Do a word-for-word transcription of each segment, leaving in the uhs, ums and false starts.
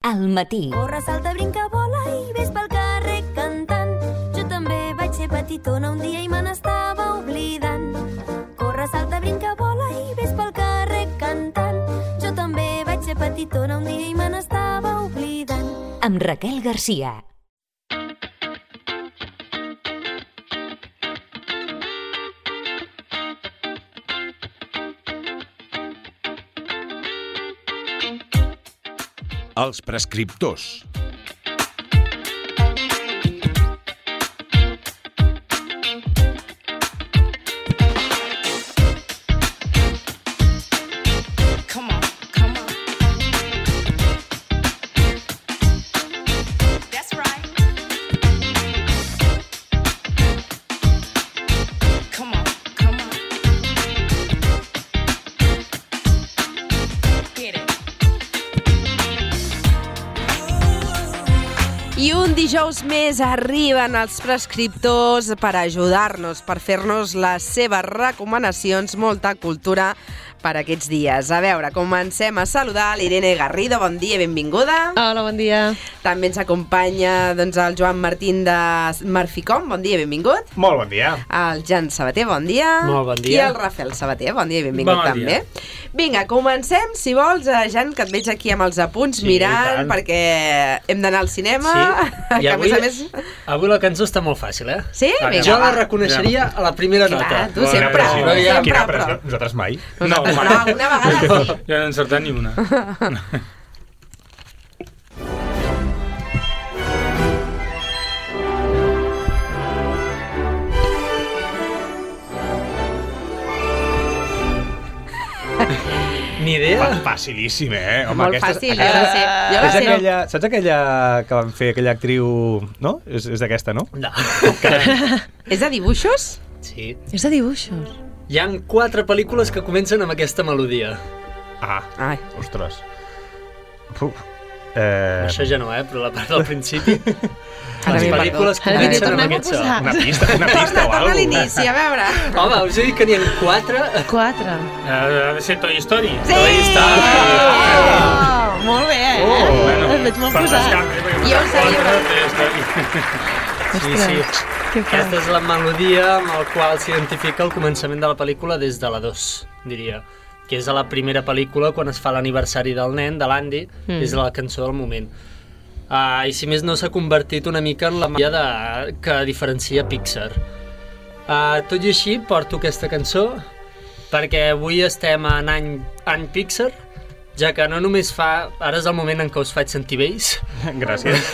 al matí. Corre, salta, brinca, vola i ves pel carrer cantant. Jo també vaig ser petitona un dia i me n'estava oblidant. Corre, salta, brinca, vola i ves pel carrer cantant. Jo també vaig ser petitona un dia i me n'estava oblidant. Amb Raquel Garcia. Els prescriptors. I un dijous més arriben els prescriptors per ajudar-nos, per fer-nos les seves recomanacions, molta cultura per aquests dies. A veure, comencem a saludar l'Irene Garrido. Bon dia, benvinguda. Hola, bon dia. També ens acompanya doncs, el Joan Martín de Marficom. Bon dia, benvingut. Molt bon dia. El Jan Sabater, bon dia. Molt bon dia. I el Rafael Sabater, bon dia i benvingut bon també. Dia. Vinga, comencem, si vols, Jan, que et veig aquí amb els apunts sí, mirant, perquè hem d'anar al cinema. Sí, i que avui, a més a més... avui la cançó està molt fàcil, eh? Sí? Vinga, jo va. la reconeixeria a la primera Clar, nota. tu sempre, no, no, ja, sempre, quina però... Nosaltres mai. No, no, una vegada sí. Jo no he encertat ni una. Ni idea? Facilíssim, eh? Home, molt aquesta, fàcil, aquesta, jo la sé. Jo la és sé. aquella, saps aquella que van fer, aquella actriu... No? És, és d'aquesta, no? No. És de dibuixos? Sí. És de dibuixos. Hi ha quatre pel·lícules que comencen amb aquesta melodia. Ah, Ai. ostres. Uf. Eh... Això ja no, eh? Però la part del principi... Ara les m'he pel·lícules perdut. Ara m'hi comencen amb tornem a aquest so. posar. Una pista, una pista Torna, o torna a alguna l'inici, a veure. Home, us he dit que n'hi ha quatre. Quatre. Ha de ser Toy Story. Sí! Toy Story. Oh, molt bé, eh? Oh, bueno, Et veig molt per posat. descarte, perquè Jo ho sabia. quatre, Toy Story. Sí, sí. Que Aquesta és la melodia amb la qual s'identifica el començament de la pel·lícula des de la dos, diria. Que és a la primera pel·lícula, quan es fa l'aniversari del nen, de l'Andy, mm. és la cançó del moment. Uh, I si més no, s'ha convertit una mica en la magia de... que diferencia Pixar. Uh, tot i així, porto aquesta cançó perquè avui estem en any, any Pixar, ja que no només fa... Ara és el moment en què us faig sentir vells. Gràcies.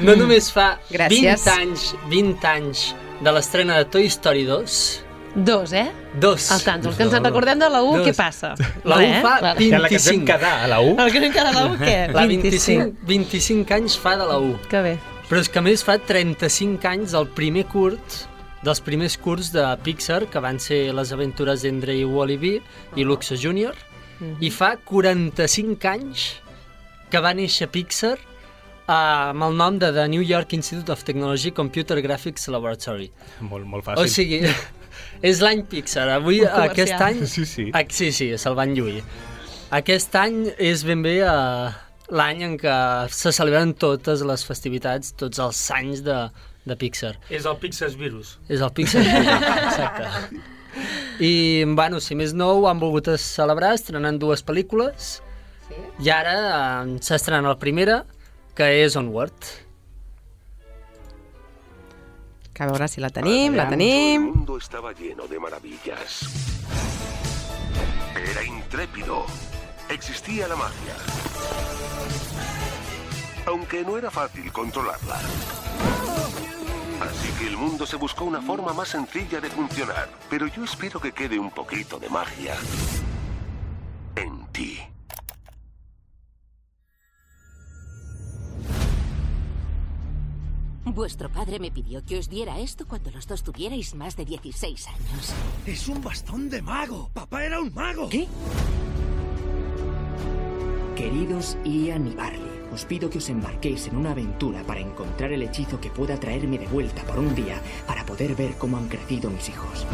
No només fa Gràcies. vint anys, vint anys de l'estrena de Toy Story dos. Dos, eh? Dos. El tant, els que ens en recordem de la u, Dos. què passa? La u Res, fa clar. I en la que ens vam vint-i-cinc. quedar, a la u. El que vam quedar de la u, què? La vint-i-cinc, vint-i-cinc anys fa de la u. Que bé. Però és que a més fa trenta-cinc anys el primer curt, dels primers curts de Pixar, que van ser Les aventures d'Endre i Wall-E i Luxo júnior, mm-hmm. i fa quaranta-cinc anys que va néixer Pixar Uh, amb el nom de The New York Institute of Technology Computer Graphics Laboratory. Molt, molt fàcil. O sigui, és l'any Pixar. Avui, Un aquest comercial. any... Sí, sí. Ah, sí, sí, se'l van lluir. Aquest any és ben bé uh, l'any en què se celebren totes les festivitats, tots els anys de, de Pixar. És el Pixar Virus. És el Pixar Virus, exacte. I, bueno, si més no, ho han volgut celebrar estrenant dues pel·lícules. Sí. I ara uh, s'estrena la primera, que és Onward. Que a veure si la tenim, la tenim. El mundo estaba lleno de maravillas. Era intrépido. Existía la magia. Aunque no era fácil controlarla. Así que el mundo se buscó una forma más sencilla de funcionar. Pero yo espero que quede un poquito de magia en ti. Vuestro padre me pidió que os diera esto cuando los dos tuvierais más de dieciséis años. ¡Es un bastón de mago! ¡Papá era un mago! ¿Qué? Queridos Ian y Barley, os pido que os embarquéis en una aventura para encontrar el hechizo que pueda traerme de vuelta por un día para poder ver cómo han crecido mis hijos.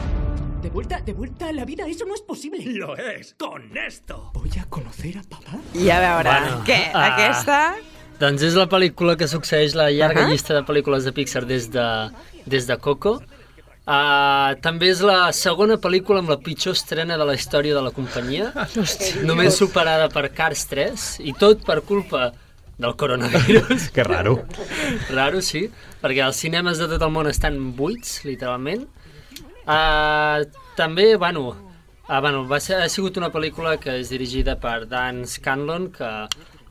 ¿De vuelta, de vuelta a la vida? ¡Eso no es posible! ¡Lo es! ¡Con esto! ¿Voy a conocer a papá? I a veure, Bueno, què? ah. Aquesta... Doncs és la pel·lícula que succeeix la llarga Ahà. llista de pel·lícules de Pixar des de, des de Coco. Uh, també és la segona pel·lícula amb la pitjor estrena de la història de la companyia, només superada per Cars tres, i tot per culpa del coronavirus. Que raro. Raro, sí, perquè els cinemes de tot el món estan buits, literalment. Uh, també, bueno, uh, bueno va ser, ha sigut una pel·lícula que és dirigida per Dan Scanlon, que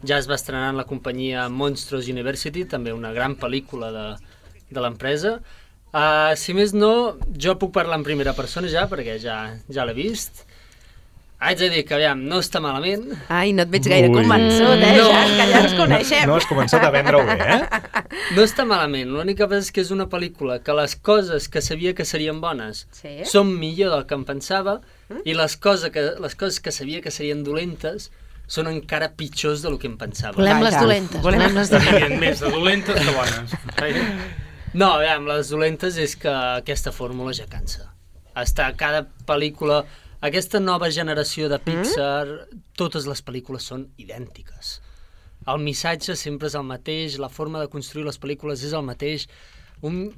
ja es va estrenar en la companyia Monsters University, també una gran pel·lícula de, de l'empresa. Uh, si més no, jo puc parlar en primera persona ja, perquè ja, ja l'he vist. Haig de dir que, aviam, no està malament. Ai, no et veig gaire Ui. convençut, eh, No. Jan, que ja ens coneixem. No, has començat a vendre-ho bé, eh? No està malament, l'única cosa és que és una pel·lícula que les coses que sabia que serien bones Sí? són millor del que em pensava, i les, cosa que, les coses que sabia que serien dolentes són encara pitjors del que em pensava. Volem les Vaja. dolentes. Volem- Volem les dolentes. Hi ha més de dolentes que bones. No, aviam, les dolentes és que aquesta fórmula ja cansa. Està cada pel·lícula... Aquesta nova generació de Pixar, mm? totes les pel·lícules són idèntiques. El missatge sempre és el mateix, la forma de construir les pel·lícules és el mateix. Un...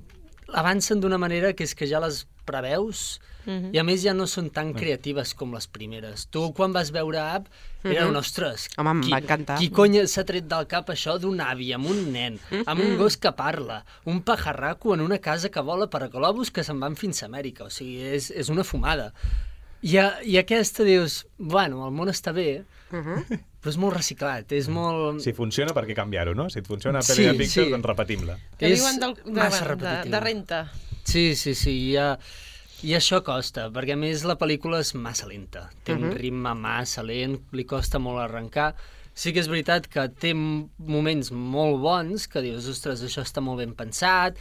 Avancen d'una manera que és que ja les preveus, mm-hmm. i a més ja no són tan creatives com les primeres. Tu, quan vas veure Up, era un ostres. Home, em qui, va encantar. Qui cony s'ha tret del cap això d'un avi, amb un nen, amb un gos que parla, un pajarraco en una casa que vola per globus que se'n van fins a Amèrica. O sigui, és, és una fumada. I, a, I aquesta dius, bueno, el món està bé, però és molt reciclat, és molt... Si funciona, per què canviar-ho, no? Si et funciona una Sí, pel·li de Pixar, sí. doncs repetim-la. Que És diuen del, de, massa de, repetitiva. de renta. Sí, sí, sí, i, a, i això costa, perquè a més la pel·lícula és massa lenta, té un ritme massa lent, li costa molt arrencar. Sí que és veritat que té moments molt bons, que dius, ostres, això està molt ben pensat,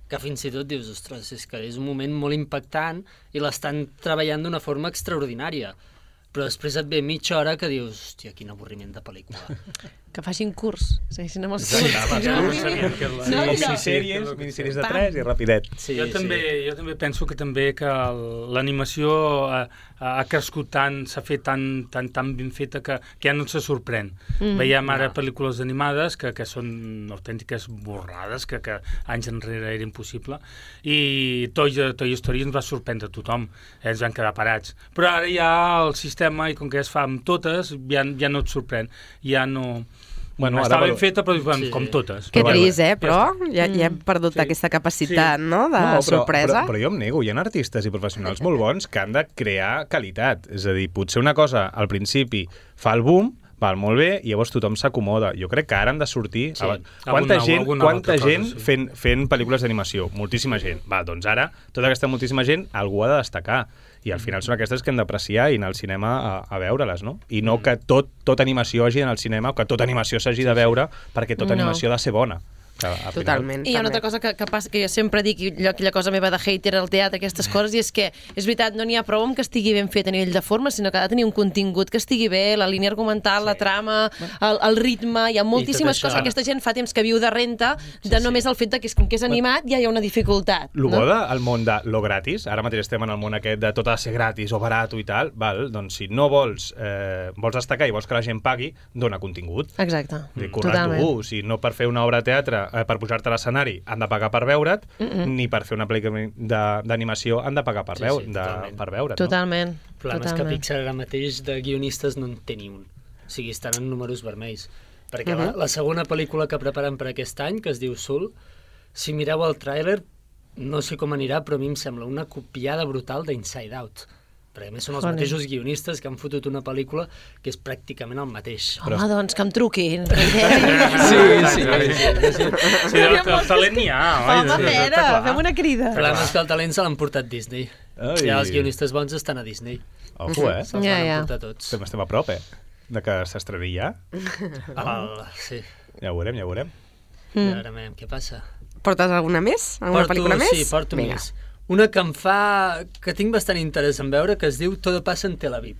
que fins i tot dius, ostres, és que és un moment molt impactant i l'estan treballant d'una forma extraordinària. Però després et ve mitja hora que dius, hòstia, quin avorriment de pel·lícula. Que facin curs. Segueixin amb els Exacte, curs. perquè no sabien que la- No, Sí, no. sèries, minisèries de Pam. tres i rapidet. Sí, jo, sí. també, jo també penso que també que el- l'animació ha, ha crescut tant, s'ha fet tan, tan, tan ben feta que, que ja no se sorprèn. Mm. Veiem ara No. pel·lícules animades que, que són autèntiques borrades, que, que anys enrere era impossible, i Toy, Toy Story ens va sorprendre a tothom, eh, ens van quedar parats. Però ara ja el sistema, i com que es fa amb totes, ja, ja no et sorprèn, ja no... Bueno, Està ara ben per- feta, però sí. Sí. com totes. Que Però trist, eh? ja Però està. ja, ja hem perdut Sí. aquesta capacitat, Sí. no?, de No, però, sorpresa. Però, però jo em nego, hi ha artistes i professionals molt bons que han de crear qualitat. És a dir, potser una cosa al principi fa el boom, val molt bé, i llavors tothom s'acomoda. Jo crec que ara han de sortir... Sí. Abans- Quanta Alguna- gent, alguna quanta altra cosa, gent sí. fent, fent pel·lícules d'animació? Moltíssima gent. Va, doncs ara, tota aquesta moltíssima gent, algú ha de destacar. I al final són aquestes que hem d'apreciar i anar al cinema a, a veure-les, no? I no que tot, tot animació hagi d'anar al cinema o que tota animació s'hagi de veure perquè tota No. animació ha de ser bona. Que, al final- Totalment. I hi ha una també. altra cosa que, que passa, que jo sempre dic, i allò, aquella cosa meva de hater al teatre, aquestes coses, i és que, és veritat, no n'hi ha prou amb que estigui ben fet a nivell de forma, sinó que ha de tenir un contingut que estigui bé, la línia argumental, sí. la trama, el, el ritme, hi ha moltíssimes això- coses. Aquesta gent fa temps que viu de renta, de Sí, només sí. el fet de que és, com que és animat, ja hi ha una dificultat. Lo no? bo del món de lo gratis, ara mateix estem en el món aquest de tot ha de ser gratis o barat i tal, val? Doncs si no vols, eh, vols destacar i vols que la gent pagui, dona contingut. Exacte. Mm. Totalment. Currar-t'ho, si no per fer una obra de teatre, eh, per pujar-te a l'escenari han de pagar per veure't, mm -mm. ni per fer una pel·lícula de- d'animació han de pagar per, Sí, veu, sí, de, totalment. per veure't. Totalment. El problema és que Totalment. Pixar ara mateix de guionistes no en té ni un. O sigui, estan en números vermells. Perquè Mhm. la, la segona pel·lícula que preparen per aquest any, que es diu Soul, si mireu el tràiler, no sé com anirà, però a mi em sembla una copiada brutal d'Inside Out. Perquè a més són els Joder. mateixos guionistes que han fotut una pel·lícula que és pràcticament el mateix. Home, doncs, que em truquin. Sí, sí, sí, sí. Sí, el, el talent n'hi ha, oi? Home, Sí, Pere, està clar. fem una crida. El problema és que el talent se l'han portat Disney. Ai. Ja els guionistes bons estan a Disney. Ojo, eh? Se'ls Ja, van ja. emportar tots. Estem, estem a prop, eh? De que s'estreni ja. El, sí, Ja ho veurem, ja ho veurem. mm. ara veurem què passa. Portes alguna més? Alguna Porto, pel·lícula més? Sí, porto Vinga. més. Una que em fa... que tinc bastant interès en veure, que es diu Todo pasa en Tel Aviv.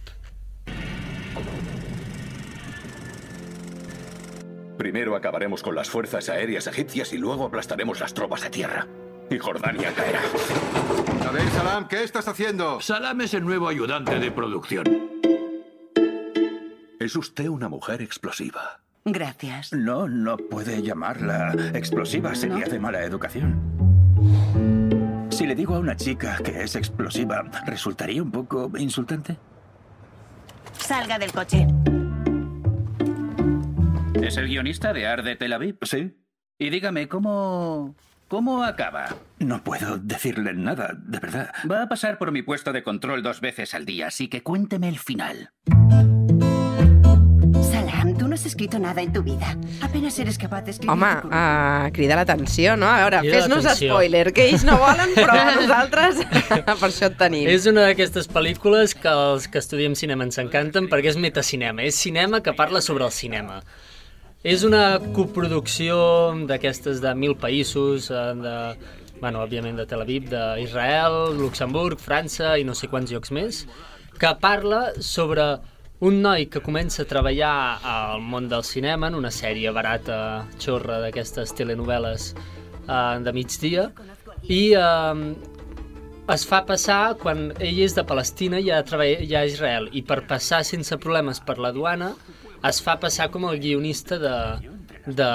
Primero acabaremos con las fuerzas aéreas egipcias y luego aplastaremos las tropas de tierra. Y Jordania caerá. A ver, Salam, ¿qué estás haciendo? Salam es el nuevo ayudante de producción. Es usted una mujer explosiva. Gracias. No, no puede llamarla explosiva. Sería de mala educación. Si le digo a una chica que es explosiva, ¿resultaría un poco insultante? Salga del coche. ¿Es el guionista de Arde Tel Aviv? Sí. Y dígame, ¿cómo... cómo acaba? No puedo decirle nada, de verdad. Va a pasar por mi puesto de control dos veces al día, así que cuénteme el final. Salam, tú no has escrito nada en tu vida. Apenas eres capaz de escribir... Home, uh, crida l'atenció, no? A veure, Crida fes-nos l'atenció. spoiler, que ells no volen, però nosaltres per això et tenim. És una d'aquestes pel·lícules que els que estudiem cinema ens encanten perquè és metacinema, és cinema que parla sobre el cinema. És una coproducció d'aquestes de mil països, eh, de, bueno, òbviament de Tel Aviv, d'Israel, Luxemburg, França i no sé quants llocs més, que parla sobre un noi que comença a treballar al món del cinema en una sèrie barata, xorra d'aquestes telenovel·les eh, de migdia, i eh, es fa passar, quan ell és de Palestina, ja treballa ja a Israel, i per passar sense problemes per la duana, es fa passar com el guionista de, de,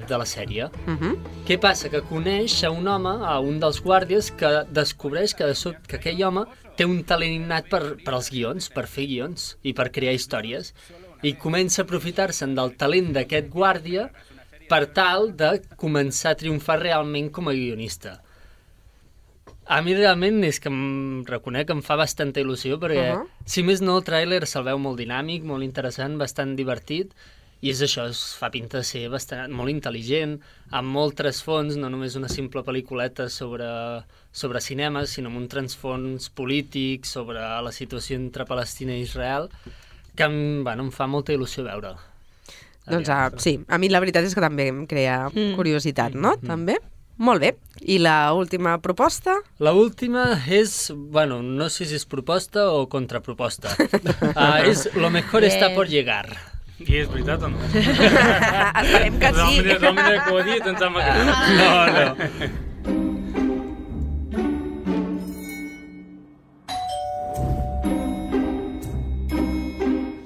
de la sèrie. Uh-huh. Què passa? Que coneix a un home, a un dels guàrdies, que descobreix que, de sobte, que aquell home té un talent innat per, per als guions, per fer guions i per crear històries, i comença a aprofitar-se'n del talent d'aquest guàrdia per tal de començar a triomfar realment com a guionista. A mi realment és que em reconec que em fa bastanta il·lusió perquè, uh-huh. si més no, el tràiler se'l veu molt dinàmic, molt interessant, bastant divertit, i és això, es fa pinta de ser bastant, molt intel·ligent, amb molt trasfons, no només una simple pel·lículeta sobre, sobre cinema, sinó amb un trasfons polític sobre la situació entre Palestina i Israel, que em, bueno, em fa molta il·lusió veure'l. Doncs uh, sí, a mi la veritat és que també em crea Mm. curiositat, no? Mm. També? Molt bé. I la última proposta? La última és, bueno, no sé si és proposta o contraproposta. Uh, és Lo mejor Bien. está por llegar. I és veritat o no? Esperem que sí. Realment que ho ha dit, em sembla que no. No, no.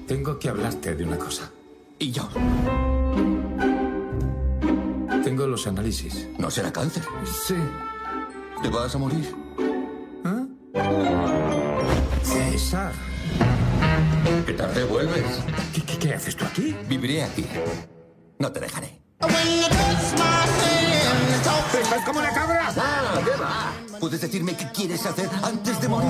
Tengo que hablarte de una cosa. ¿Y yo? Tengo los análisis. ¿No será cáncer? Sí. ¿Te vas a morir? César. ¿Qué tarde vuelves? ¿Qué, qué, qué haces tú aquí? Viviré aquí. No te dejaré. ¡Estás como una cabra! ¡Ah, qué va! ¿Puedes decirme qué quieres hacer antes de morir?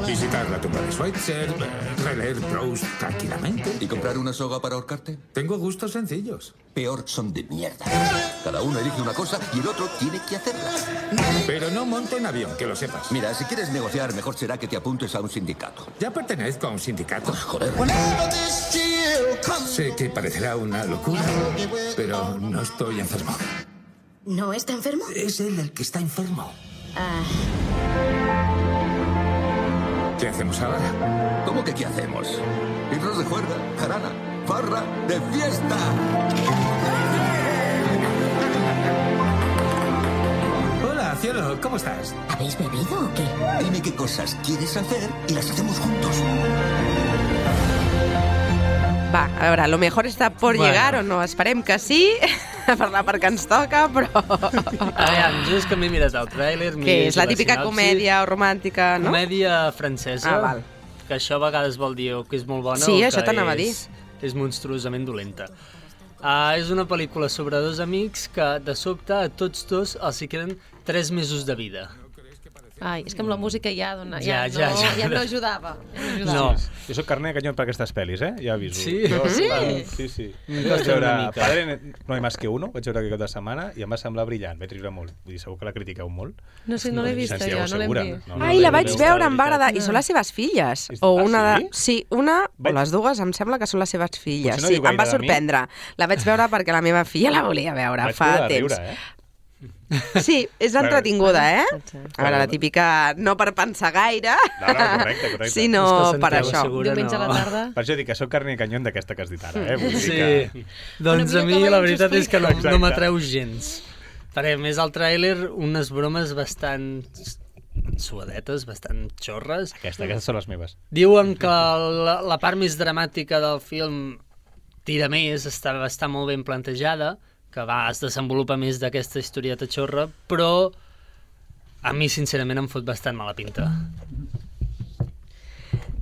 Visitar la tumba de Schweitzer, eh, releer Proust tranquilamente. ¿Y comprar una soga para ahorcarte? Tengo gustos sencillos. Peor, son de mierda. Cada uno elige una cosa y el otro tiene que hacerla. Pero no monte en avión, que lo sepas. Mira, si quieres negociar, mejor será que te apuntes a un sindicato. Ya pertenezco a un sindicato. Pues joder. Sé que parecerá una locura, pero no estoy enfermo. ¿No está enfermo? Es él el que está enfermo. Ah, ¿Qué hacemos ahora? ¿Cómo que qué hacemos? Irnos de juerga, jarana, farra, de fiesta. Hola, cielo, ¿cómo estás? ¿habéis bebido o qué? Dime qué cosas quieres hacer y las hacemos juntos. Va, a veure, lo mejor està por Bueno. llegar o no? Esperem que sí, per la part que ens toca, però... A veure, jo és que m'he mirat el tràiler... m'he Què llegit és? La la típica sinopsi. comèdia o romàntica, no? Comèdia francesa, Ah, val. que això a vegades vol dir o que és molt bona Sí, o això que t'anava a dir. és, és monstruosament dolenta. Uh, és una pel·lícula sobre dos amics que, de sobte, a tots dos els hi queden tres mesos de vida. Ai, és que amb la música ja, dona, Ja, ja, ja, no, ja. ja no ajudava. Ja no ajudava. No. Jo soc carner de canyó per aquestes pel·lis, eh? Ja aviso. Sí? Jo, Sí? Sí, sí. Em Vaig costa veure una mica. Padre no hay más que uno, vaig veure aquest cap de setmana i em va semblar brillant, vaig riure molt. Vull dir, segur que la critiqueu molt. No sé, no l'he vista Santiago jo, no l'hem Segura. vist. No, no, Ai, la no, vaig no, veure, no, em va agradar. Ah. I són les seves filles. És- O ah, una de... sí? Sí, una o Vaig- les dues em sembla que són les seves filles. Potser no Sí, diu em va gaire de mi. sorprendre. La vaig veure perquè la meva filla la volia veure Vaig fa plorar de temps. riure, eh? Sí, és Bueno, entretinguda, eh? potser. A veure, la típica no per pensar gaire, No, no, correcte, correcte. sinó És que per Santiago això. Segura Diumenge a la no. tarda. Per això dic que sóc carner de canyó d'aquesta que has dit ara, eh? Vull dir Sí, que... doncs Una a mica mi que la veiem veritat és que no, Exacte. no m'atreu gens. Perquè a més al tràiler unes bromes bastant suadetes, bastant xorres. Aquesta, aquestes són les meves. Diuen que la, la part més dramàtica del film tira més, està, està molt ben plantejada, que va, es desenvolupa més d'aquesta historieta xorra, però a mi, sincerament, em fot bastant mala pinta.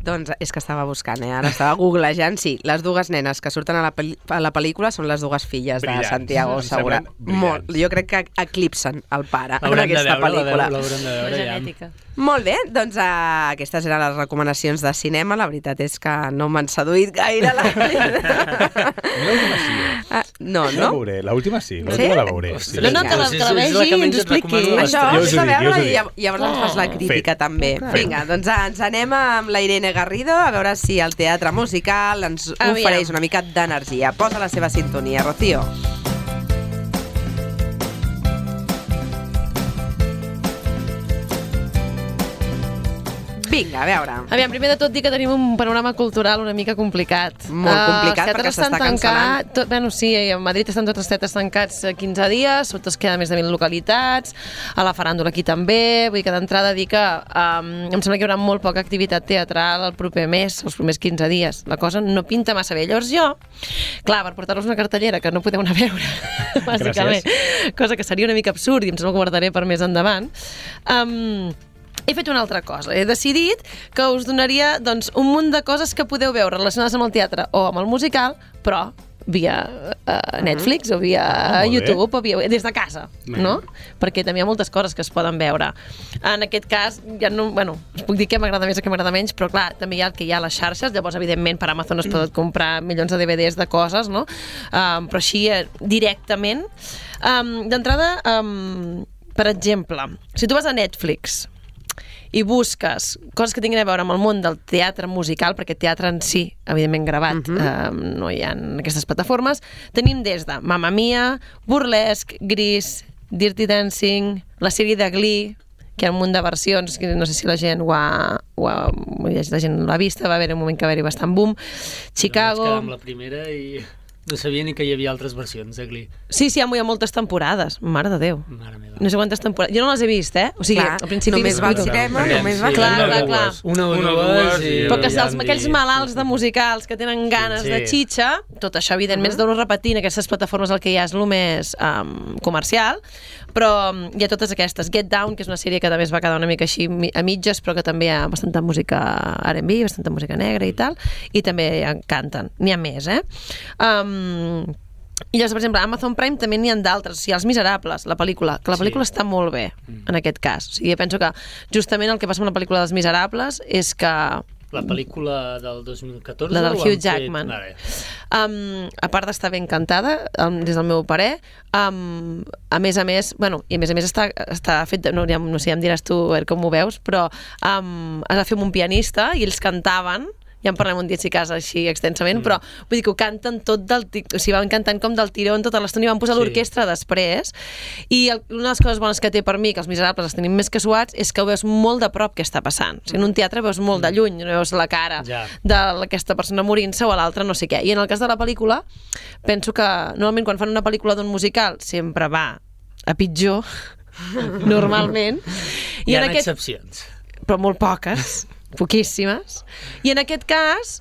Doncs és que estava buscant, eh? Ara estava googlejant. Sí, les dues nenes que surten a la, a la pel·lícula són les dues filles de brillants. Santiago Segura. Molt, jo crec que eclipsen el pare en aquesta veure, pel·lícula. L'haurem de veure, ja. Genètica. Molt bé, doncs uh, aquestes eren les recomanacions de cinema. La veritat és que no m'han seduït gaire. La L'última sí. Uh, no, La no? veuré, l'última sí, l'última la veuré. Sí. No, no, que la, que la vegi i ens ho expliqui. Això, Jo us has ho de dic, jo us veure ho i dic. llav- llavors ens fas la crítica Fet. també. Vinga, doncs uh, ens anem amb la Irene Garrido a veure si el teatre musical ens Aviam. ofereix una mica d'energia. Posa la seva sintonia, Rocío. Vinga, a veure. Aviam, primer de tot dir que tenim un panorama cultural una mica complicat. Molt complicat, uh, perquè s'està tancat, cancel·lant. tot, bueno, sí, a Madrid estan tots els teatres tancats quinze dies, sota es queda més de mil localitats, a la faràndula aquí també, vull dir que d'entrada dir que um, em sembla que hi haurà molt poca activitat teatral el proper mes, els primers quinze dies. La cosa no pinta massa bé. Llavors jo, clar, per portar-los una cartellera que no podeu anar a veure, bàsicament, cosa que seria una mica absurd i em sembla que ho guardaré per més endavant, um, he fet una altra cosa. He decidit que us donaria doncs, un munt de coses que podeu veure relacionades amb el teatre o amb el musical, però via uh, Netflix o via Ah, molt bé. YouTube o via, des de casa, no? Perquè també hi ha moltes coses que es poden veure. En aquest cas, ja no, bueno, us puc dir què m'agrada més o què m'agrada menys, però clar, també hi ha el que hi ha a les xarxes, llavors evidentment per Amazon es poden comprar milions de D V Ds de coses, no? Um, però així eh, directament. Um, D'entrada, um, per exemple, si tu vas a Netflix i busques coses que tinguin a veure amb el món del teatre musical, perquè teatre en si, evidentment gravat, uh -huh. eh, no hi ha en aquestes plataformes, tenim des de Mamma Mia, Burlesque, Grease, Dirty Dancing, la sèrie de Glee, que hi ha un munt de versions, que no sé si la gent ho ha, ho ha, la gent l'ha vista, va haver un moment que va haver-hi bastant boom, Chicago... Vaig quedar amb la primera i no sabia ni que hi havia altres versions de Glee. Sí, sí, hi ha moltes temporades, mare de Déu. Mare meva. No sé quantes temporades. Jo no les he vist, eh? O sigui, Clar, al principi... només va al cinema, Aviam, només sí, va al Clar, cinema. clar, clar. Una o Una o dues dues i... i- Però que ja els, em aquells dic- malalts de musicals que tenen ganes Sí. de xitxa, tot això evidentment es deu repetir en aquestes plataformes, el que hi ha és el més um, comercial, però um, hi ha totes aquestes. Get Down, que és una sèrie que també es va quedar una mica així mi- a mitges, però que també hi ha bastanta música R and B, bastanta música negra i tal, i també hi canten. N'hi ha més, eh? Um, I llavors, per exemple, a Amazon Prime també n'hi ha d'altres, o sigui, Els Miserables, la pel·lícula, que la pel·lícula sí. està molt bé, en aquest cas. O sigui, jo penso que justament el que passa amb la pel·lícula dels Miserables és que La pel·lícula del dos mil catorze? la del o Hugh han fet- Jackman. Vale. Um, a part d'estar ben cantada, um, des del meu parer, um, a més a més, bueno, i a més a més està, està fet, de, no, ja, no sé, ja em diràs tu a veure com ho veus, però um, es va fer amb un pianista i ells cantaven, ja en parlem un dia si casa així extensament, mm. però vull dir que ho canten tot del... O sigui, van cantant com del tirón tota l'estona i van posar Sí. l'orquestra després, i el, una de les coses bones que té per mi, que Els Miserables els tenim més que suats, és que ho veus molt de prop què està passant. O sigui, en un teatre veus molt de lluny, no veus la cara Ja. d'aquesta persona morint-se o a l'altra no sé què. I en el cas de la pel·lícula, penso que normalment quan fan una pel·lícula d'un musical sempre va a pitjor, normalment. Hi ha en aquest... excepcions. Però molt poques, poquíssimes. I en aquest cas,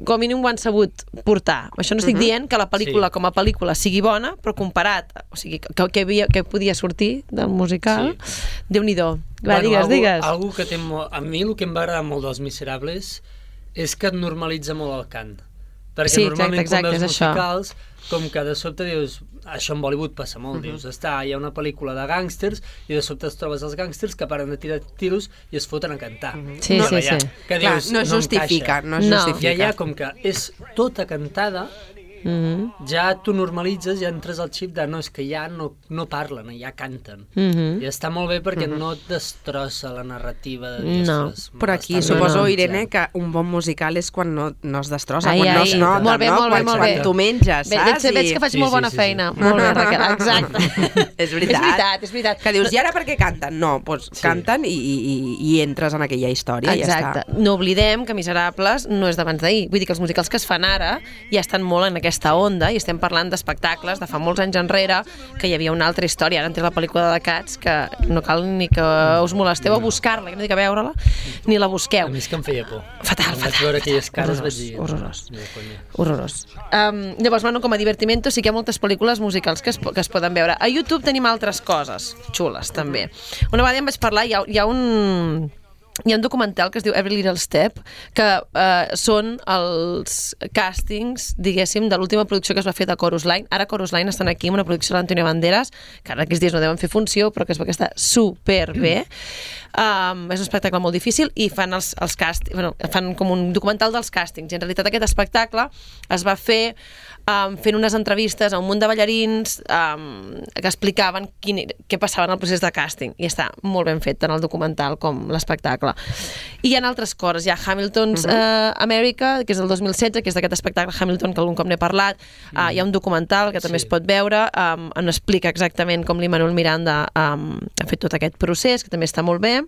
com a mínim ho han sabut portar. Això no estic uh -huh. dient que la pel·lícula Sí. com a pel·lícula sigui bona, però comparat, o sigui, que, que, havia, que podia sortir del musical, sí. Déu-n'hi-do. Va, digues, algú, digues. Algú que té molt... A mi el que em va agradar molt dels Miserables és que et normalitza molt el cant. Perquè Sí, exacte, normalment exacte, quan veus és això. musicals, com que de sobte dius... Això en Bollywood passa molt, Mhm. dius, està, hi ha una pel·lícula de gàngsters i de sobte es trobes els gàngsters que paren de tirar tiros i es foten a cantar. Sí, no, sí, allà, sí. Que Clar, dius, no es justifica, encaixa. no es No. justifica. I allà, com que és tota cantada, Mhm. ja tu normalitzes, ja entres al xip de no, és que ja no, no parlen, ja canten. Mhm. I està molt bé perquè no et destrossa la narrativa de dir, No. ostres, Però aquí m'està suposo, normalitzant. Irene, que un bon musical és quan no, no es destrossa, Ai, quan no ai, es nota, molt bé, no? molt bé, quan, molt quan bé. tu menges, Bé, saps? veig, veig que I- faig Sí, molt sí, bona sí, feina. sí. Molt bé, Raquel, exacte. És veritat. És veritat, és veritat. Que dius, i ara per què canten? No, doncs Sí. canten i, i, i entres en aquella història i ja Exacte. està. No oblidem que Miserables no és d'abans d'ahir. Vull dir que els musicals que es fan ara ja estan molt en aquesta aquesta onda, i estem parlant d'espectacles de fa molts anys enrere, que hi havia una altra història. Ara en té la pel·lícula de Cats, que no cal ni que us molesteu a buscar-la, que no dic a veure-la, ni la busqueu. A mi és que em feia por. Fatal, Quan fatal. vaig veure aquelles cares vaig dir... Horrorós. Horrorós. Um, llavors, bueno, com a divertimento sí que hi ha moltes pel·lícules musicals que es, que es poden veure. A YouTube tenim altres coses xules, també. Una vegada em vaig parlar, hi ha, hi ha un... Hi ha un documental que es diu Every Little Step, que eh, són els càstings, diguéssim, de l'última producció que es va fer de Chorus Line. Ara Chorus Line estan aquí amb una producció de l'Antonio Banderas, que ara aquests dies no deuen fer funció, però que es veu que està superbé. Um, és un espectacle molt difícil i fan els, els càstings, bueno, fan com un documental dels càstings. I en realitat aquest espectacle es va fer um, fent unes entrevistes a un munt de ballarins um, que explicaven quin, què passava en el procés de càsting. I està molt ben fet, tant el documental com l'espectacle. I hi ha altres coses. Hi ha Hamilton's uh -huh. uh, America, que és del dos mil setze, que és d'aquest espectacle Hamilton, que algun cop n'he parlat. Uh, uh -huh. Hi ha un documental que també sí. es pot veure, um, on explica exactament com l'Immanuel Miranda um, ha fet tot aquest procés, que també està molt bé.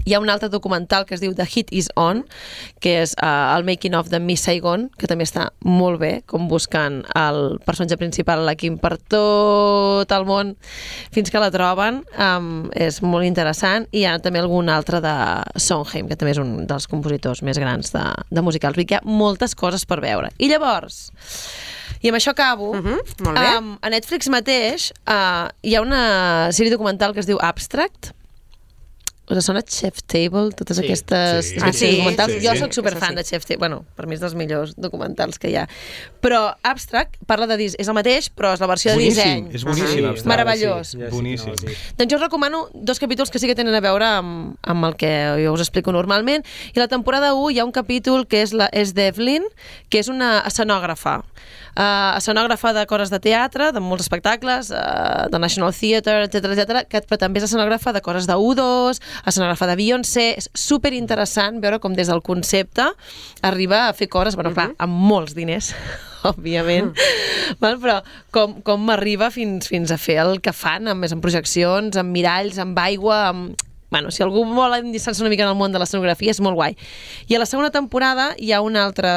Hi ha un altre documental que es diu The Heat Is On, que és uh, el making of de Miss Saigon, que també està molt bé, com busquen el personatge principal, la Kim, per tot el món fins que la troben. Um, és molt interessant. I hi ha també algun altre de Sondheim, que també és un dels compositors més grans de, de musicals. Vull dir que hi ha moltes coses per veure. I llavors... I amb això acabo. Uh -huh, molt bé. Um, a Netflix mateix uh, hi ha una sèrie documental que es diu Abstract. Us sona Chef Table, totes sí. aquestes sí. Ah, sí, documentals? sí, jo sí, sóc superfan sí. de Chef Table. Bueno, per mi és dels millors documentals que hi ha. Però Abstract parla de disseny. És el mateix, però és la versió boníssim, de disseny. És boníssim, ah, sí. Meravellós. Sí, ja boníssim. Sí. Doncs jo us recomano dos capítols que sí que tenen a veure amb, amb el que jo us explico normalment. I la temporada u hi ha un capítol que és, la, és d'Evelyn, que és una escenògrafa. Uh, escenògrafa de coses de teatre, de molts espectacles, uh, de National Theatre, etcètera, etcètera, que però també és escenògrafa de coses de U dos, escenògrafa de Beyoncé. És superinteressant veure com des del concepte arriba a fer coses, bueno, clar, amb molts diners, òbviament, val? Però com, com arriba fins, fins a fer el que fan, amb, amb projeccions, amb miralls, amb aigua, amb... Bueno, si algú vol endinçar-se una mica en el món de l'escenografia, és molt guai. I a la segona temporada hi ha un altre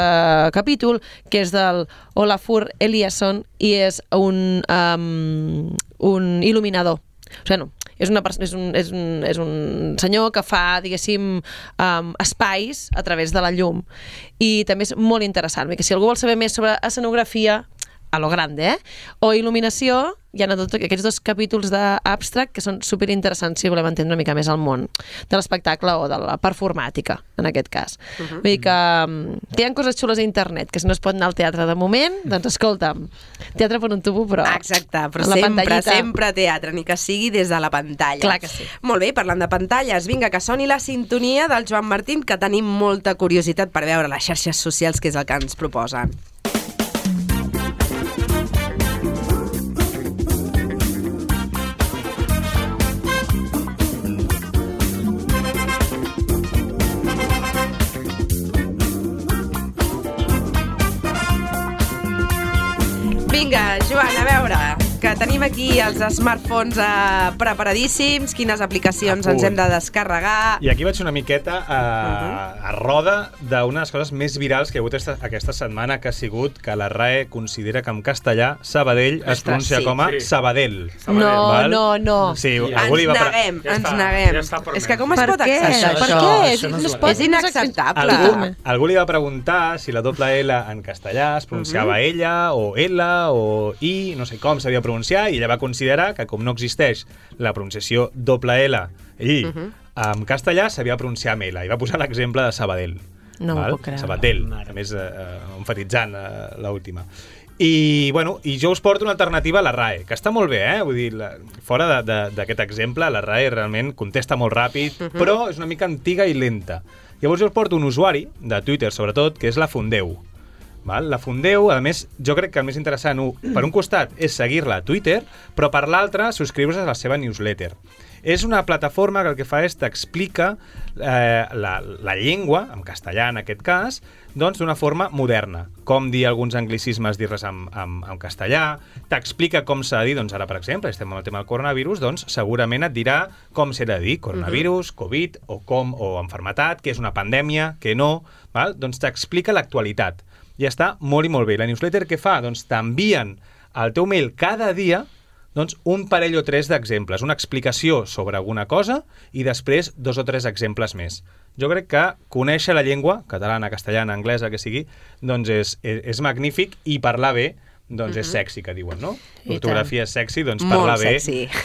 capítol, que és del Olafur Eliasson, i és un, um, un il·luminador. O sigui, no, és, una és, un, és, un, és un senyor que fa, diguéssim, um, espais a través de la llum. I també és molt interessant, perquè si algú vol saber més sobre escenografia, a lo grande, eh? O il·luminació, hi ha tots aquests dos capítols d'Abstract que són superinteressants si volem entendre una mica més el món de l'espectacle o de la performàtica, en aquest cas. Uh -huh. Vull dir que, que hi ha coses xules a internet, que si no es pot anar al teatre de moment, doncs escolta'm, teatre per un tubo, però... Exacte, però sempre, sempre teatre, ni que sigui des de la pantalla. Clar que sí. Molt bé, parlant de pantalles, vinga, que soni la sintonia del Joan Martín, que tenim molta curiositat per veure les xarxes socials, que és el que ens proposen. Vinga, Joan, a veure, que tenim aquí els smartphones eh, preparadíssims, quines aplicacions ens hem de descarregar... I aquí vaig una miqueta a, uh-huh. a roda d'una de les coses més virals que hi ha hagut esta, aquesta setmana, que ha sigut que la R A E considera que en castellà Sabadell es pronuncia sí, com a sí. Sabadell. Sabadell. No, val? no, no. Sí, ja. Ens neguem, ja ens està, neguem. Ja és que com es per pot què? acceptar per això? Què? Això no és, no és inacceptable. Algú, algú li va preguntar si la doble L en castellà es pronunciava uh-huh. ella o L o I, no sé com s'havia de pronunciar, i ella va considerar que com no existeix la pronunciació doble L i uh-huh. en castellà s'havia de pronunciar amb L, i va posar l'exemple de Sabadell. No m'ho puc creure. Sabadell, a més eh, enfatitzant eh, l'última. I, bueno, I jo us porto una alternativa a la R A E, que està molt bé, eh? Vull dir, la, fora d'aquest exemple, la R A E realment contesta molt ràpid, uh-huh. però és una mica antiga i lenta. Llavors jo us porto un usuari, de Twitter sobretot, que és la Fundeu. Val? La Fundeu, a més, jo crec que el més interessant, per un costat, és seguir-la a Twitter, però per l'altre, subscriure-se a la seva newsletter. És una plataforma que el que fa és t'explica eh, la, la llengua, en castellà en aquest cas, doncs d'una forma moderna. Com dir alguns anglicismes, dir-les en, en, en castellà, t'explica com s'ha de dir, doncs ara, per exemple, estem amb el tema del coronavirus, doncs segurament et dirà com s'ha de dir coronavirus, Covid, o com, o enfermetat, què és una pandèmia, què no, val? Doncs t'explica l'actualitat. i està molt i molt bé. La newsletter què fa? Doncs t'envien al teu mail cada dia doncs, un parell o tres d'exemples, una explicació sobre alguna cosa i després dos o tres exemples més. Jo crec que conèixer la llengua, catalana, castellana, anglesa, que sigui, doncs és, és, és magnífic i parlar bé doncs és sexy, que diuen, no? L'ortografia és sexy, doncs parlar bé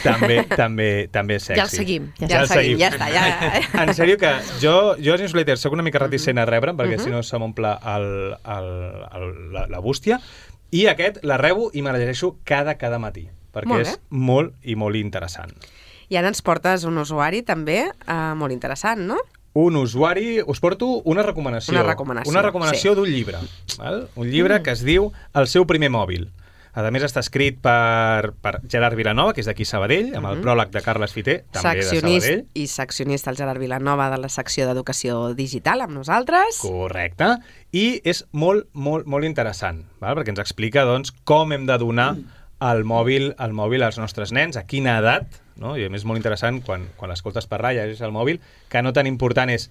també, també, també és sexy. Ja el seguim. Ja, ja el seguim, ja està. Ja. En sèrio que jo, jo als newsletters soc una mica reticent a rebre, perquè si no se m'omple el, el, el, la, la bústia, i aquest la rebo i me la llegeixo cada, cada matí, perquè molt és molt i molt interessant. I ara ens portes un usuari també eh, molt interessant, no? Un usuari, us porto una recomanació. Una recomanació, Una recomanació sí. d'un llibre. Val? Un llibre mm. que es diu El seu primer mòbil. A més, està escrit per, per Gerard Vilanova, que és d'aquí Sabadell, amb el mm-hmm. pròleg de Carles Fiter, també Seccionist de Sabadell. I seccionista el Gerard Vilanova de la secció d'Educació Digital amb nosaltres. Correcte. I és molt, molt, molt interessant, val? Perquè ens explica doncs, com hem de donar el mòbil, el mòbil als nostres nens, a quina edat, no? I a més és molt interessant quan, quan l'escoltes parlar i llegeixes el mòbil, que no tan important és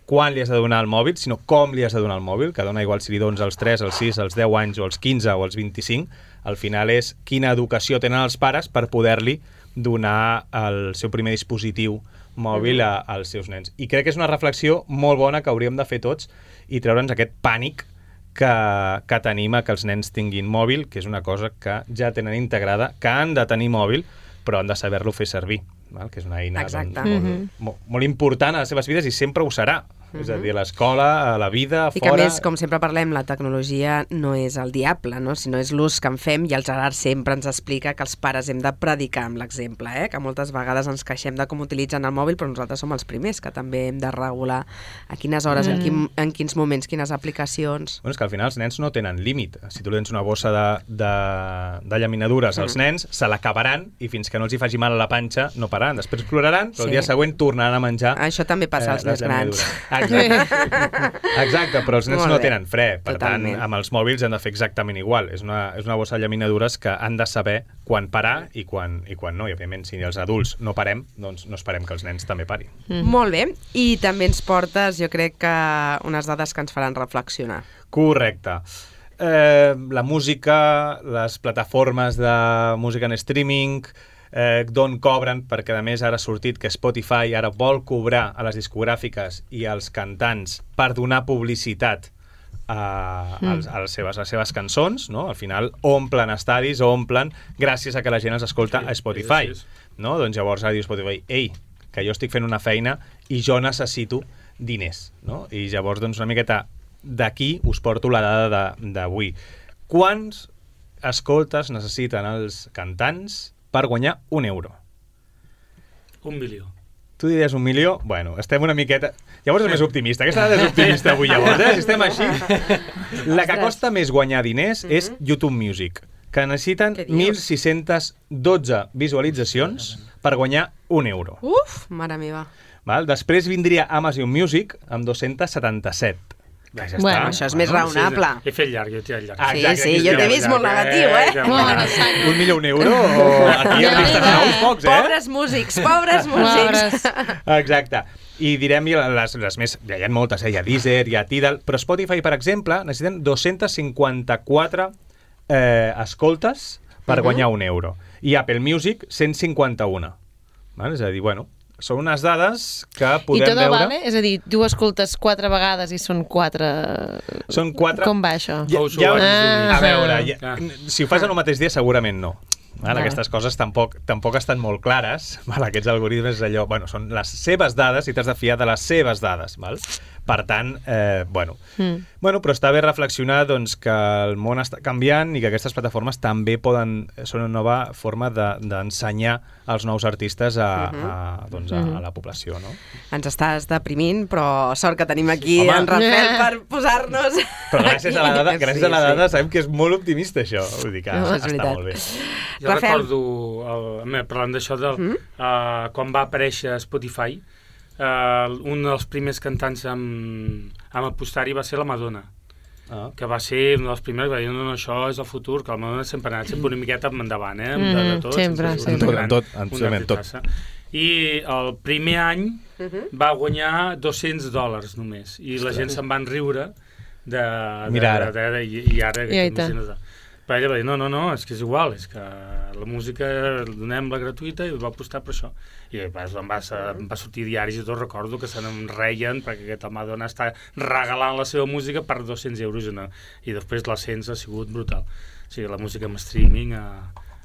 quan li has de donar el mòbil, sinó com li has de donar el mòbil, que dona igual si li dones als tres, als sis, als deu anys, o als quinze, o als vint-i-cinc, al final és quina educació tenen els pares per poder-li donar el seu primer dispositiu mòbil a, als seus nens. I crec que és una reflexió molt bona que hauríem de fer tots i treure'ns aquest pànic que, que tenim a que els nens tinguin mòbil, que és una cosa que ja tenen integrada, que han de tenir mòbil, però han de saber-lo fer servir, val? Que és una eina doncs, molt, mm-hmm. molt, molt important a les seves vides i sempre ho serà. Mm-hmm. És a dir, a l'escola, a la vida, a I fora... I que a més, com sempre parlem, la tecnologia no és el diable, no? Sinó és l'ús que en fem, i el Gerard sempre ens explica que els pares hem de predicar amb l'exemple, eh? Que moltes vegades ens queixem de com utilitzen el mòbil, però nosaltres som els primers que també hem de regular a quines hores, mm. en, quin, en quins moments, quines aplicacions... Bueno, és que al final els nens no tenen límit. Si tu li tens una bossa de, de, de llaminadures als mm. nens, se l'acabaran i fins que no els hi faci mal a la panxa no pararan. Després ploraran, però sí. el dia següent tornaran a menjar... Això també passa als eh, més grans. Exacte. Exacte, però els nens no tenen fre. Per Totalment. tant, amb els mòbils han de fer exactament igual. És una, és una bossa de llaminadures que han de saber quan parar i quan, i quan no. I, òbviament, si els adults no parem, doncs no esperem que els nens també parin. Mm. Molt bé. I també ens portes, jo crec que unes dades que ens faran reflexionar. Correcte. Eh, la música, les plataformes de música en streaming... Eh, d'on cobren, perquè a més ara ha sortit que Spotify ara vol cobrar a les discogràfiques i als cantants per donar publicitat a, mm. als, a, les seves, a les seves cançons, no? Al final omplen estadis, omplen gràcies a que la gent els escolta sí, a Spotify, no? Doncs llavors ara diu Spotify, ei, que jo estic fent una feina i jo necessito diners, no? I llavors doncs una miqueta d'aquí us porto la dada d'avui. Quants escoltes necessiten els cantants per guanyar un euro? Un milió. Tu diries un milió? Bueno, estem una miqueta... Llavors és més optimista. Aquesta dada és optimista avui, llavors, eh? Si estem així... La que costa més guanyar diners és YouTube Music, que necessiten mil sis-centes dotze visualitzacions per guanyar un euro. Uf, mare meva. Val? Després vindria Amazon Music amb dos-cents setanta-set. Ja bueno, això és més raonable. He fet llarg, jo he tirat llarg. Ah, sí, sí, jo t'he vist molt negatiu, eh? Un milió, un euro, o aquí hem vist nous pocs, eh? Pobres músics, pobres músics. Exacte. I direm les, les més... Hi ha moltes, eh? Hi ha Deezer, hi ha Tidal, però Spotify, per exemple, necessiten dos-cents cinquanta-quatre eh, escoltes per guanyar un euro. I Apple Music, cent cinquanta-un. És a dir, bueno... Són unes dades que podem veure... I tot vale? És a dir, tu escoltes quatre vegades i són quatre... Són quatre... Com va això? Ja, ja, ah, a veure, ja, si ho fas en un mateix dia segurament no. Val? Aquestes coses tampoc, tampoc estan molt clares. Val? Aquests algoritmes allò... Bueno, són les seves dades i t'has de fiar de les seves dades. Val? Per tant, eh, bueno. Mm. Bueno, però està bé reflexionar doncs, que el món està canviant i que aquestes plataformes també poden... Són una nova forma d'ensenyar de, als nous artistes a, uh-huh. a, doncs, a, a la població, no? Ens estàs deprimint, però sort que tenim aquí Home. en Rafael per posar-nos... Però gràcies a la dada, gràcies sí, a la dada sí. sabem que és molt optimista, això. Vull dir que no, està veritat. molt bé. Jo Rafael. recordo, el, parlant d'això, mm? uh, quan va aparèixer Spotify, uh, un dels primers cantants amb, amb apostar-hi va ser la Madonna. Ah. Que va ser una dels primers, va dir, no, no, això és el futur, que la Madonna sempre ha anat sempre una miqueta endavant, eh? Mm, de, de tot, sempre, sempre. Gran, tot, tot, tot. I el primer any uh-huh. va guanyar dos-cents dòlars només, i la gent se'n van riure de, de, Mira ara. de, de, i, i ara I imagina't. Però ella va dir, no, no, no, és que és igual, és que la música donem la gratuïta i va apostar per això. I va, em, va, em va sortir diaris i tot, recordo que se n'en reien perquè aquesta Madonna està regalant la seva música per dos-cents euros una, i després l'ascens ha sigut brutal. O sigui, la música en streaming ha,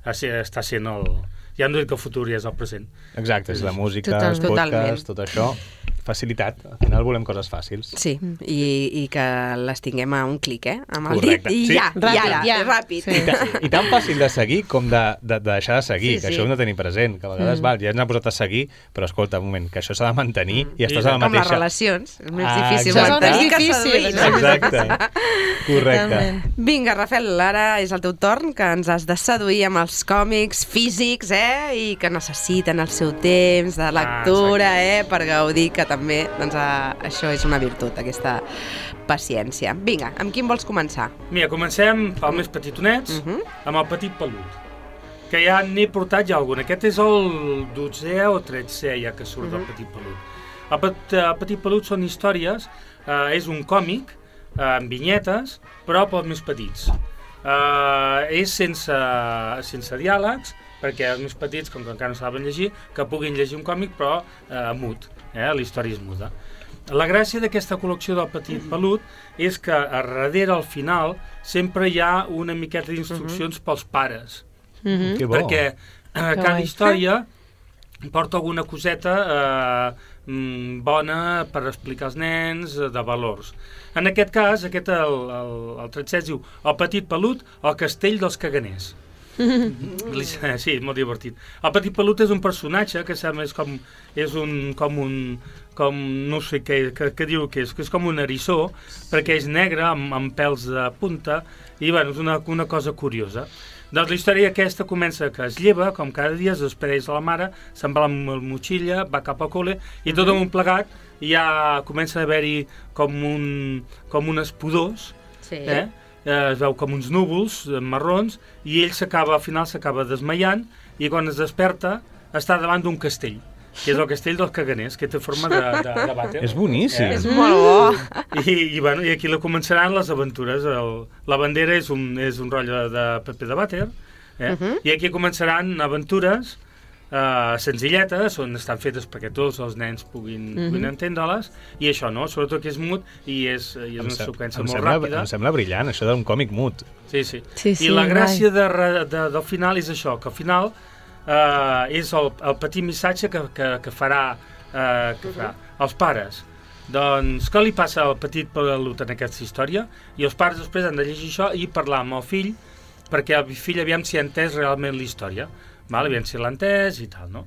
ha, està sent el... Ja hem dit que el futur ja és el present. Exacte, és la música, Total, els podcasts, tot això. Facilitat, al final volem coses fàcils. Sí, i, i que les tinguem a un clic, eh? Amb el Correcte. dit i Sí. ja, Ràpid, i ara, ja. ràpid. I, ta, I tan fàcil de seguir com de, de, de deixar de seguir, Sí, que sí. això ho hem de tenir present, que a vegades Mm. val, ja ens ha posat a seguir, però escolta, un moment, que això s'ha de mantenir i estàs a la Com les mateixa... relacions, és més Ah, difícil exacte. mantenir que Difícil, seduir, no? Exacte, correcte. Vinga, Rafael, ara és el teu torn, que ens has de seduir amb els còmics físics, eh? I que necessiten el seu temps de lectura, eh? Per gaudir, que també, doncs, a, això és una virtut, aquesta paciència. Vinga, amb quin vols començar? Mira, comencem pel més petitonets, uh -huh. amb el Petit Pelut, que ja n'he portat ja algun. Aquest és el dotzè o tretzè ja que surt uh -huh. del Petit Pelut. El, pet, el Petit Pelut són històries, eh, és un còmic eh, amb vinyetes, però pels més petits. Eh, és sense, sense diàlegs, perquè els més petits, com que encara no saben llegir, que puguin llegir un còmic, però eh, mut, eh, la història és muda. La gràcia d'aquesta col·lecció del Petit Pelut és que a darrere, al final, sempre hi ha una miqueta d'instruccions uh -huh. pels pares. Uh -huh. Que bo. Perquè eh, cada guai. història porta alguna coseta eh, bona per explicar als nens, eh, de valors. En aquest cas, aquest, el, el, el tretzè es diu El Petit Pelut, el castell dels caganers. Sí, molt divertit. El Petit Pelut és un personatge que sembla és com, és un, com un com, no sé què, que, que diu que és, que és com un eriçó, perquè és negre, amb, amb pèls de punta, i bueno, és una, una cosa curiosa. Doncs la història aquesta comença que es lleva, com cada dia, es despedeix de la mare, se'n va amb la motxilla, va cap al col·le, i tot un plegat ja comença a haver-hi com, un, com unes pudors, Sí. eh? Eh, es veu com uns núvols eh, marrons, i ell s'acaba, al final s'acaba desmaiant, i quan es desperta està davant d'un castell, que és el castell dels caganers, que té forma de, de, de vàter. És boníssim. Eh? És molt bo. I, i, bueno, i aquí la començaran les aventures. El, la bandera és un, és un rotllo de paper de vàter, eh? Uh -huh. I aquí començaran aventures uh, senzilletes, on estan fetes perquè tots els nens puguin, Uh-huh. puguin entendre-les, i això, no? Sobretot que és mut i és, i és Em una sem- seqüència em molt sembla, ràpida. Em sembla brillant, això d'un còmic mut. Sí, sí. Sí, sí, I la gràcia guai. de, re- de, del final és això, que al final eh, és el, el petit missatge que, que, que farà, eh, que farà els pares. Doncs què li passa al Petit Pelut en aquesta història? I els pares després han de llegir això i parlar amb el fill, perquè el fill aviam si ha entès realment la història, val? Aviam si l'ha entès i tal, no?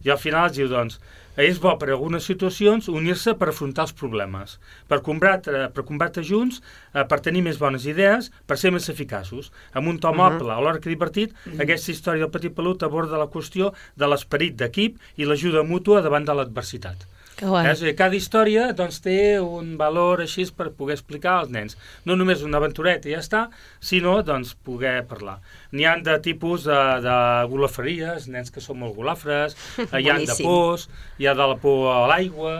I al final es diu, doncs, és bo per algunes situacions unir-se per afrontar els problemes, per combatre, per combatre junts, eh, per tenir més bones idees, per ser més eficaços. Amb un to moble, alhora que divertit, aquesta història del Petit Pelut aborda la qüestió de l'esperit d'equip i l'ajuda mútua davant de l'adversitat. Que guai. Eh? És a dir, cada història doncs, té un valor així per poder explicar als nens. No només una aventureta i ja està, sinó doncs, poder parlar. N'hi ha de tipus de, de golafreries, nens que són molt golafres, eh, hi ha de Boníssim. pors, hi ha de la por a l'aigua,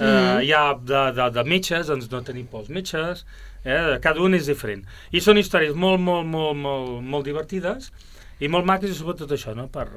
eh, Mhm. hi ha de, de, de metges, doncs no tenir por als metges, eh? Cada un és diferent. I són històries molt, molt, molt, molt, molt divertides i molt maques i sobretot això, no?, per...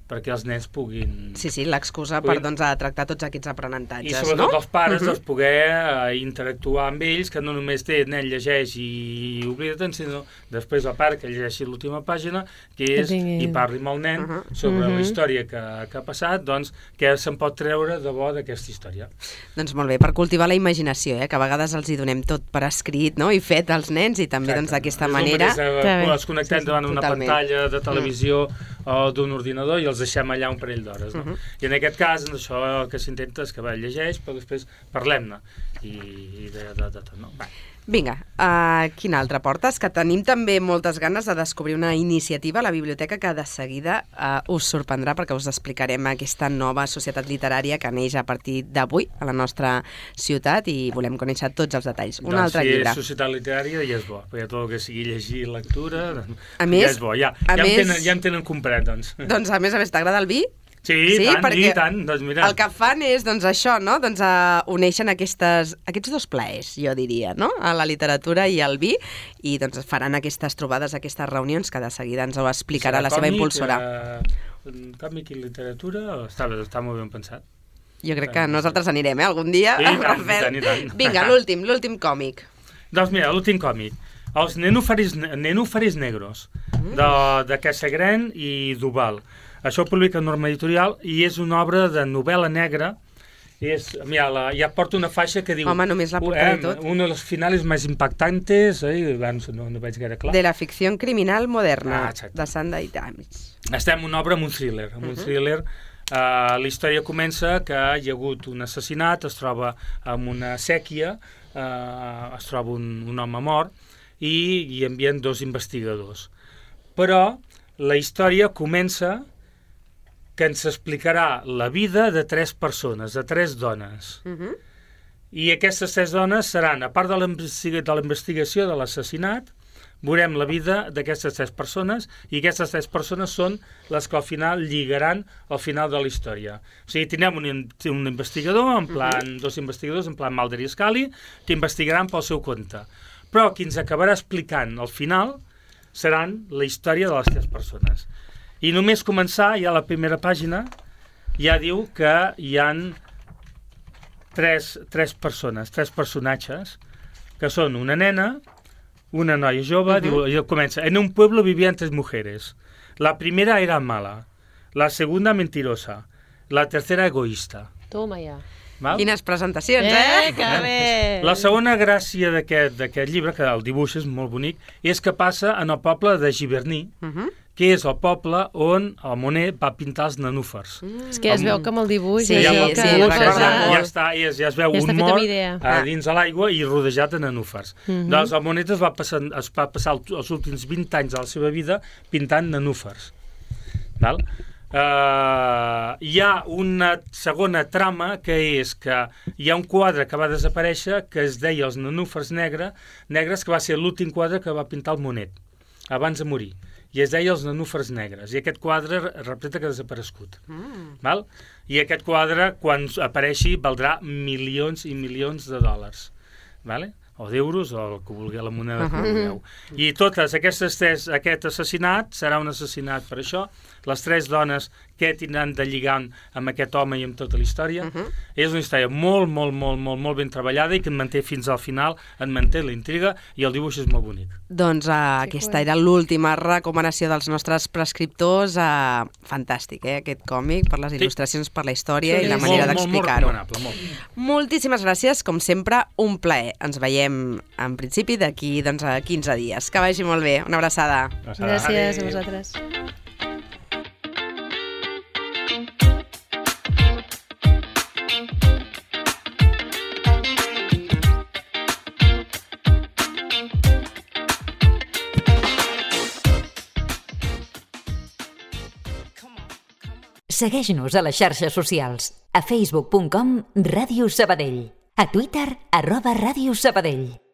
perquè els nens puguin... Sí, sí, l'excusa per doncs, a tractar tots aquests aprenentatges, I sobretot no? els pares, Mhm. doncs, poder eh, interactuar amb ells, que no només té nen llegeix i oblida-te'n, sinó després el pare que llegeixi l'última pàgina, que és, Que tingui- i parli amb el nen Uh-huh. sobre Mhm. la història que, que ha passat, doncs, què se'n pot treure de bo d'aquesta història. Doncs molt bé, per cultivar la imaginació, eh? Que a vegades els hi donem tot per escrit, no? I fet als nens, i també doncs d'aquesta És el manera... mateix, eh, Que bé. els connectem Sí, sí, davant d'una totalment. pantalla de televisió o d'un ordinador i els deixem allà un parell d'hores, no? Mhm. I en aquest cas, doncs, això el que s'intenta és que va, llegeix, però després parlem-ne i, i de, de, de tot, no? Va. Vinga, uh, quin altre portes? Que tenim també moltes ganes de descobrir una iniciativa a la biblioteca que de seguida uh, us sorprendrà, perquè us explicarem aquesta nova societat literària que neix a partir d'avui a la nostra ciutat i volem conèixer tots els detalls. Un Doncs altre si llibre. és societat literària ja és bo, perquè tot el que sigui llegir lectura A ja més- és bo, ja, a ja, més- em tenen, ja em tenen comprat, doncs. Doncs a més a més, t'agrada el vi? Sí, sí, tant, i tant. Doncs mira. El que fan és, doncs, això, no? Doncs uh, uneixen aquestes, aquests dos plaers, jo diria, no? A la literatura i al vi, i doncs faran aquestes trobades, aquestes reunions, que de seguida ens ho explicarà la seva impulsora. Eh, còmic i literatura, està, està molt ben pensat. Jo crec que nosaltres anirem, eh? Algun dia. Sí, i tant, i tant, i tant. Vinga, l'últim, l'últim còmic. Doncs mira, l'últim còmic. Els Nenúfaris, Nenúfaris Negros, de, de Casagran i Duval. Això ho publica Norma Editorial i és una obra de novel·la negra. És, mira, la, ja porta una faixa que diu... Home, només la portada eh, i tot. Uno de los finales más impactantes, eh, no, no veig gaire clar. De la ficció criminal moderna, ah, de Sunday Times. Estem en una obra amb un thriller. Amb un uh -huh. thriller uh, la història comença que hi ha hagut un assassinat, es troba en una sèquia, uh, es troba un, un home mort, i hi envien dos investigadors. Però la història comença que ens explicarà la vida de tres persones, de tres dones. Uh -huh. I aquestes tres dones seran, a part de la investigació de l'assassinat, veurem la vida d'aquestes tres persones, i aquestes tres persones són les que al final lligaran al final de la història. O sigui, tindrem un, un investigador, en plan, uh -huh. dos investigadors, en plan Mulder i Scully, que investigaran pel seu compte. Però qui ens acabarà explicant al final seran la història de les tres persones. I només començar, ja a la primera pàgina, ja diu que hi han tres, tres persones, tres personatges, que són una nena, una noia jove, uh -huh. diu, comença, en un pueblo vivían tres mujeres. La primera era mala, la segunda mentirosa, la tercera egoísta. Toma ja. Val? Quines presentacions, eh? Eh, que bé! La segona gràcia d'aquest llibre, que el dibuix és molt bonic, és que passa en el poble de Giverny, uh -huh. que és el poble on el Monet va pintar els nenúfars. Mm. És que ja es veu que amb el dibuix... Sí, ja, ja, sí, sí, sí, ja, ja, està, ja, ja es veu ja un mort a dins a l'aigua i rodejat de nenúfars. Mm -hmm. Doncs el Monet es va passar, es va passar els últims vint anys de la seva vida pintant nenúfars. Val? Uh, hi ha una segona trama, que és que hi ha un quadre que va desaparèixer que es deia Els nenúfars negre, negres, que va ser l'últim quadre que va pintar el Monet abans de morir, i es deia Els nenúfars negres, i aquest quadre representa que ha desaparegut. Mm. Val? I aquest quadre, quan apareixi, valdrà milions i milions de dòlars, vale? O d'euros, o el que vulgui, la moneda uh -huh. que vulgueu. I totes aquestes tres, aquest assassinat serà un assassinat per això. Les tres dones que tindran de lligar amb aquest home i amb tota la història. Uh -huh. És una història molt, molt, molt, molt, molt ben treballada i que en manté fins al final, en manté la intriga, i el dibuix és molt bonic. Doncs uh, aquesta era l'última recomanació dels nostres prescriptors. Uh, fantàstic, eh, aquest còmic, per les il·lustracions, per la història sí, i la manera d'explicar-ho. Moltíssimes gràcies, com sempre, un plaer. Ens veiem en principi d'aquí doncs, a quinze dies. Que vagi molt bé. Una abraçada. Gràcies a vosaltres. Segueix-nos a les xarxes socials. A facebook punt com Ràdio Sabadell. A Twitter, arroba Ràdio Sabadell.